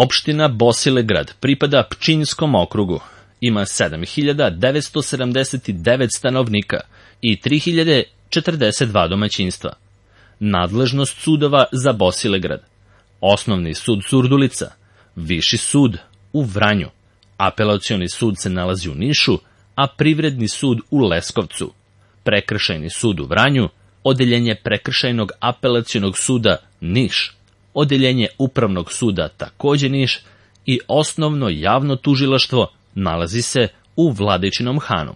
Opština Bosilegrad pripada Pčinjskom okrugu. Ima 7.979 stanovnika i 3.042 domaćinstva. Nadležnost sudova za Bosilegrad: Osnovni sud Surdulica, Viši sud u Vranju, Apelacioni sud se nalazi u Nišu, a Privredni sud u Leskovcu, Prekršajni sud u Vranju, Odeljenje Prekršajnog apelacionog suda Niš, Odeljenje Upravnog suda takođe Niš i Osnovno javno tužilaštvo nalazi se u Vladičinom Hanu.